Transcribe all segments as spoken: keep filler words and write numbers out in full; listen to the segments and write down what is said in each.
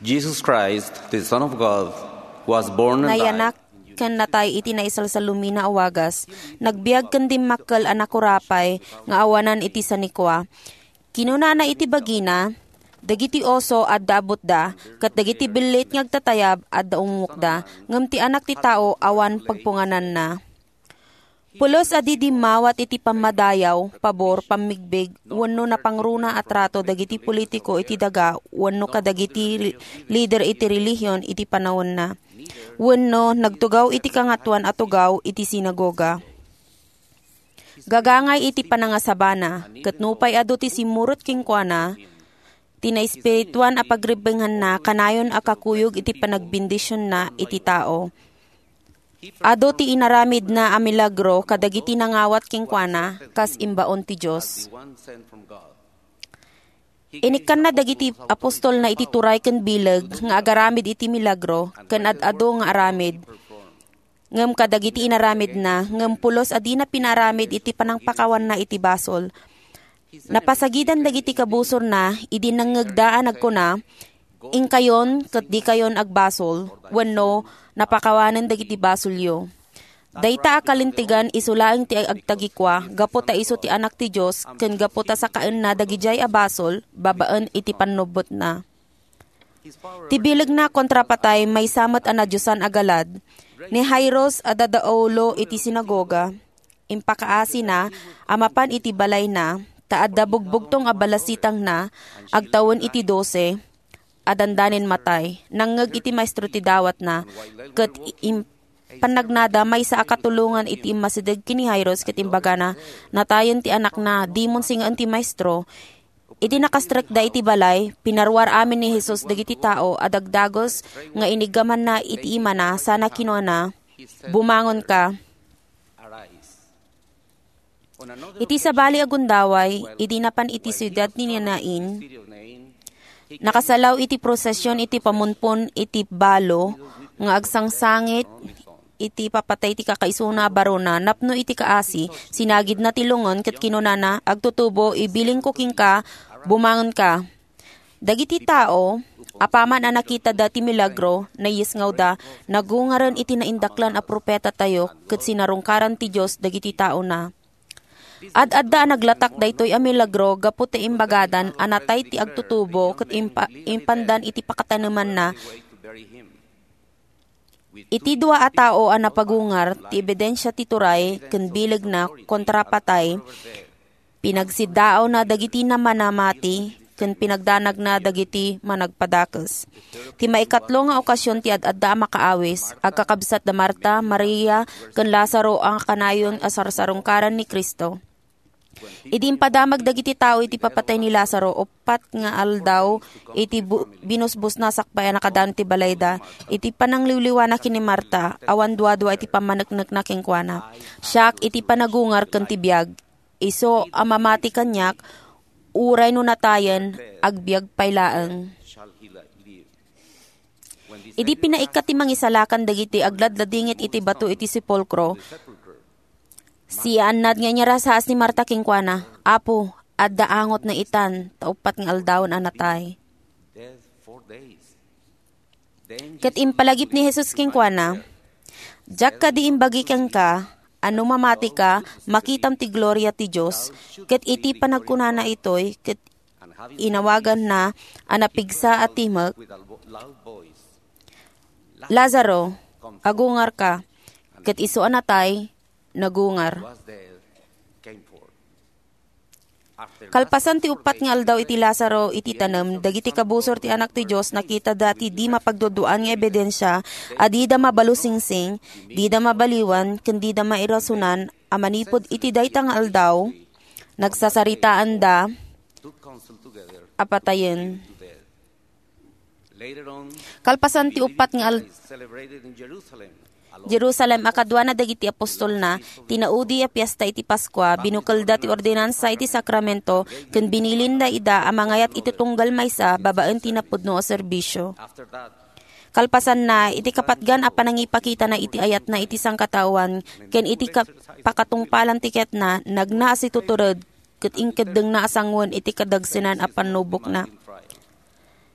Jesus Christ, the Son of God, was born and Nayanak died. Ken natay iti naisalsalumina a wagas. Nagbiag ken dimmakkel a nakurapay nga awanan iti sanikua. Kinunana iti bagina, "Dagiti oso adda abutda, ket dagiti billit nga agtatayab adda umukda, ngem ti Anak ti Tao awan pagpungananna." Pulos a di dimmawat iti pammadayaw, pabor, pammigbig, wenno napangruna a trato dagiti politiko iti daga wenno kadagiti ri-, lider iti relihion iti panawenna, wenno nagtugaw iti Kangatoan a Tugaw iti sinagoga. Gagangay iti panangasabana, ket nupay adu ti simmurot kenkuana, ti naespirituan a pagrebbenganna kanayon a kakuyog iti panagbendisionna iti tao. Adu ti inaramidna a milagro kadagiti nangawat kenkuana kas imbaon ti Dios. Inikkanna dagiti apostolna iti turay ken bileg nga agaramid iti milagro ken ad-adu nga aramid. Ngem kadagiti inaramidna, ngem pulos a dina pinaaramid iti panangpakawanna iti basol. Napasagidan dagiti kabusorna idi nangngegda a nagkuna, "Inkayon ket dikayon agbasol," wenno "Napakawanen dagiti basolyo." Dayta a kalintegan isu laeng ti agtagikua gapu ta isu ti Anak ti Dios ken gapu ta sakaenna dagidiay a basol babaen iti pannubbotna. Ti bilegna kontrapatay maysa met a nadiosan a galad. Ni Jairus a dadaulo iti sinagoga, impakaasina a mapan iti balayna, ta adda bugbugtong a balasitangna, agtawen iti dose, a dandanin matay. Nangngeg iti maestro ti dawatna, ket im-, pannagnada maysa a katulongan iti immasideg ken ni Jairus ket imbagana, "Natayen ti anakna, dimon singaen ti maestro." Idi nakastrekda iti balay, pinaruar amin ni Jesus dagiti tao a dagdagus nga iniggamanna iti imana sana kinunana, "Bumangonka." Iti sabali a gundaway, idi napan iti siudad ni Nain, nakasalaw iti prosesion iti pamunpon iti balo nga agsangsangit iti papatay ti kakaisuna a barona. Napno iti kaasi, sinagidna ti lungon ket kinunana, "Agtutubo, ibilingko kenka, bumangonka." Dagiti tao, apaman a nakitada ti milagro, nayisngawda, nagungaren iti naindaklan a propetatayo ket sinarungkaran ti Dios dagiti taona. Ad-adda a naglatak daytoy a milagro gapu ta imbagadan a natay ti agtutubo ket impa-, impandan iti pakatanemanna. Iti dua a tao a napagungar, ti ebidensia ti turay ken bilegna kontra patay, pinagsiddaawna dagiti namanamati ken pinagdanagna dagiti managpadakes. Ti maikatlo nga okasion ti ad-adda a makaawis, agkakabsat da Marta, Maria, ken Lazaro a kanayon a sarsarungkaran ni Cristo. Idi impadamag dagiti tao iti papatay ni Lazaro, uppat nga aldaw iti bu-, binusbusna sakbay a nakadanon ti balayda. Iti panangliwliwana ken ni Marta, awan duadua iti pammaneknekna kenkuana. Siak iti panagungar ken ti biag. Isu a mamati kaniak, uray no natayen, agbiag pay laeng. Idi pinaikkat ti mangisalakan dagiti agladladingit iti bato iti sepulkro, siyaannad nga inyarasaas ni Marta kenkuana, "Apo, adda angotna itan, ta uppat nga aldawen a natay." Ket impalagip ni Jesus kenkuana, "Diak kadi imbagi kenka a no mamatika, makitam ti gloria ti Dios?" Ket iti panagkunana itoy, ket inawaganna a napigsa a timek, "Lazaro, agungarka." Ket isu a natay, nagungar. Kalpasan ti uppat nga aldaw iti Lazaro iti tanem, dagiti kabusor ti Anak ti Dios nakitada ti di mapagduaduaan nga ebidensia a dida mabalusingsing, dida mabaliwan, ken dida mairasonan a manipud iti dayta nga aldaw, nagsasaritaanda a patayen. Kalpasan ti uppat nga al-, Jerusalem a kaduana dagiti apostolna, ti naudi a fiesta iti Paskua, binukelda ti ordinansa iti sakramento, ken binilinda ida a mangayat iti tunggal maysa babaen ti napudno a serbisio. Kalpasanna, iti kapatgan a panangipakitana iti ayatna iti sangkataoan, ken iti ka-, pakatungpalan ti ketna, nagna a situtured, ket inkeddengna a sangoen iti kadagsenan a pannubokna.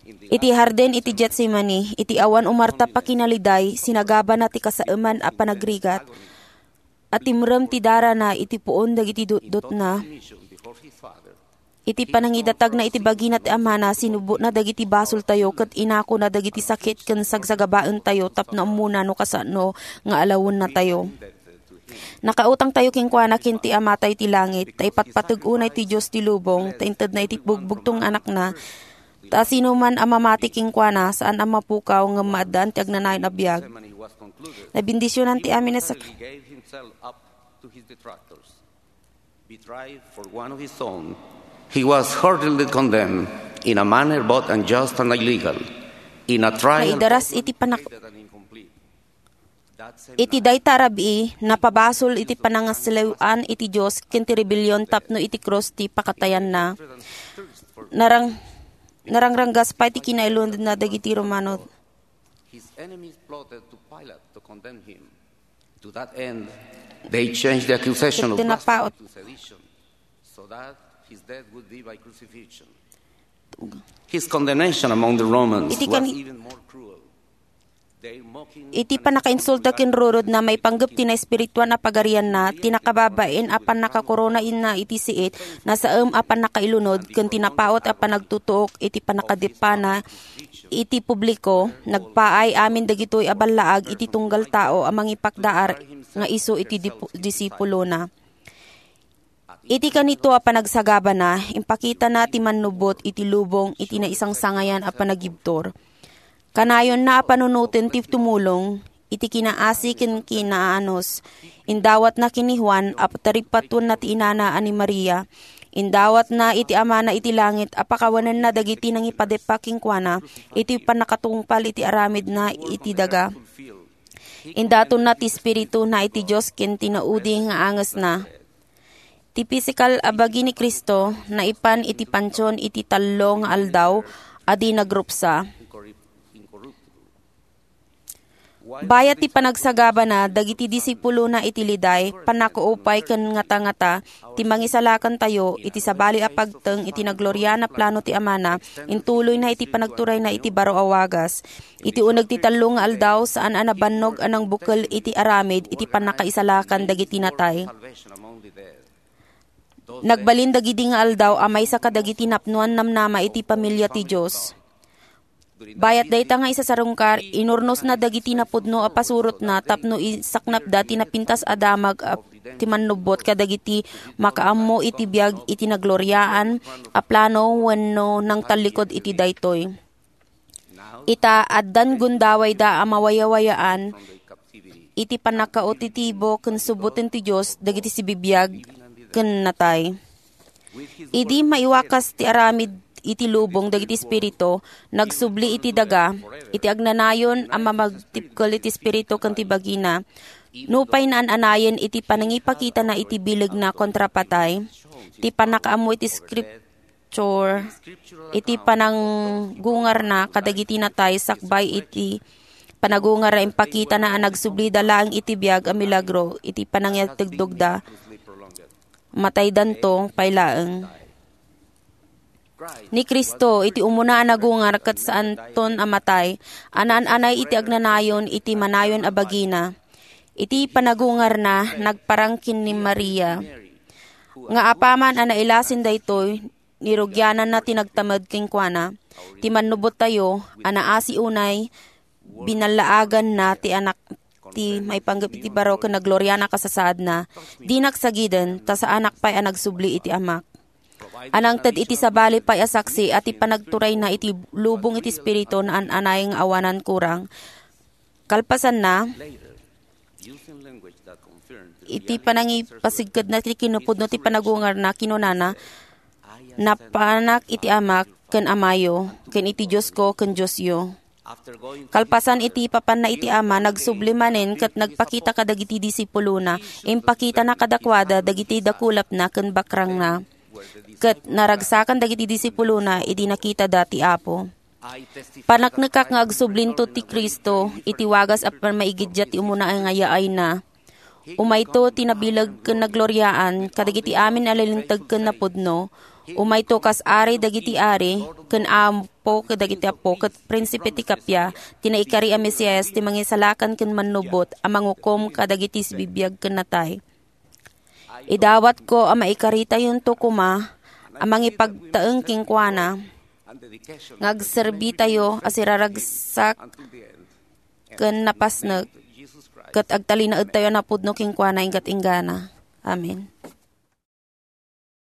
Iti hardin iti Getsemani, iti awan umarta pakinaliday, sinagabana ti kasaeman a panagrigat. Atimrem ti darana iti puon dagiti dutdotna. Iti panangidatagna iti bagina ti Amana, sinubbotna dagiti basoltayo ket inakona dagiti sakit ken sagsagabaentayo tapno ammona no kasano nga alawennatayo. Nakautangtayo kenkuana ken ti Amatayo ti langit, ta ipatpateg unay ti Dios ti lubong, ta intedna iti bugbugtong nga Anakna, ta sinoman a mamati kenkuana, saan a mapukaw, ngem maaddaan ti agnanayon a biag. Nabendisionan ti amin a sak- Betrayed for one of his own, he was heartily condemned in a manner both unjust and illegal. In a trial, Naidaras iti panak- Iti dayta a rabii, napabasol iti panangaslew-an iti Dios ken ti rebellion tapno iti krus ti pakatayanna. Narang, narangranggas pay ti kinailunodna dagiti Romano. His enemies plotted to Pilate to condemn him. To that end, they changed the accusation of Ket tinapaot. Blasphemy to sedition, so that his death would be by crucifixion. His condemnation among the Romans Iti was kani- even more cruel. Their mocking Iti panakainsulta ken rurodna maipanggep ti naespirituan a pagarianna, ti nakababain a pannakakorona inna iti siit, nasaem a pannakailunod, ken tinapaot a panagtutuok iti panakadipana iti publiko, nagpaay amin dagitoy a ballaag iti tunggal tao a mangipakdaar nga isu iti dipu- disipulona. Iti kanito a panagsagabana, impakitana ti mannubot iti lubong iti naisangsangayan a panagibtur. Kanayonna a panunoten ti tumulong iti kinaasi ken kinaanus. Indawatna ken ni Juan a taripatuenna ti inana a ni Maria. Indawatna iti Amana iti langit a pakawanenna dagiti nangipadepa kenkuana iti pannakatungpal iti aramidna iti daga. Indatonna ti Espirituna iti Dios ken ti naudi nga angesna. Ti pisikal a bagi ni Cristo naipan iti pantion iti tallo nga aldaw a di nagrupsa. Bayat ti panagsagabana dagiti disipulona iti liday, pannakaupay ken ngata-ngata ti mangisalakantayo iti sabali a pagteng iti nagloriaan a plano ti Amana, intuloyna iti panagturayna iti baro a wagas. Iti uneg ti tallo nga aldaw, saan a nabannog a nangbukel iti aramid iti pannakaisalakan dagiti natay. Nagbalin dagidi nga aldaw a maysa kadagiti napnoan namnama iti pamilia ti Dios. Bayat dayta nga isasarungkar, inurnosna dagiti napudno a pasurotna tapno isaknapda ti napintas a damag a ti mannubot kadagiti makaammo iti biag iti nagloriaan a plano wenno nangtallikud iti daytoy. Ita, addan gundawayda a mawayawayaan iti pannakautitibo ken subboten ti Dios dagiti sibibiag ken natay. Idi maiwakas ti aramid iti lubong dagiti espiritu, nagsubli iti daga, iti agnanayon a mamagtipkel iti espiritu ken ti bagina. Nupay naan-anayen iti panangipakitana iti bilegna kontra patay, ti pannakaammo iti scripture, iti pananggungarna kadagiti natay sakbay iti panagungarna, impakitana a nagsublida laeng iti biag a milagro iti panangitegdogda. Mataydanto pay laeng. Ni Cristo, iti umuna a nagungar ket saanton a matay, a naan-anay iti agnanayon iti manayon a bagina. Iti panagungarna, nagparang ken ni Maria. Nga apaman a nailasin daytoy, nirugiananna ti nagtamed kenkuana. Ti mannubottayo a naasi unay, binallaaganna ti anak ti maipanggep iti baro ken nagloriana kasasaadna. Dinak sagiden, ta saanak pay a nagsubli iti Amak. A nangted iti sabali pay a saksi a ti panagturayna iti lubong iti Espiritu naan-anay nga awanan kurang. Kalpasanna, iti panangipasigkedna ti kinapudno ti panagungarna, kinunana, "Napanak iti Amak ken Amayo, ken iti Diosko ken Diosyo." Kalpasan iti ipapanna iti Ama, nagsubli manen ket nagpakita kadagiti disipulona. Impakitana kadakuada dagiti dakulapna ken bakrangna. Ket naragsakan dagiti disipulona idi nakitada ti Apo. Paneknekak nga agsublinto ti Cristo iti wagas a pammaigiddiat ti umuna nga yaayna. Umayto ti nabileg ken nagloriaan kadagiti amin a nalinteg ken napudno. Umayto kas Ari dagiti ari ken am-, Apo kadagiti apo, ket prinsipe ti kappia, ti naikari a Mesias, ti mangisalakan ken mannubot a mangukom kadagiti sibibiag ken natay. Idawatko a maikaritayonto koma a mangipagtaeng kenkuana, nga agserbitayo a siraragsak ken napasnek, ket agtalinaedtayo a napudno kenkuana inggat inggana. Amen.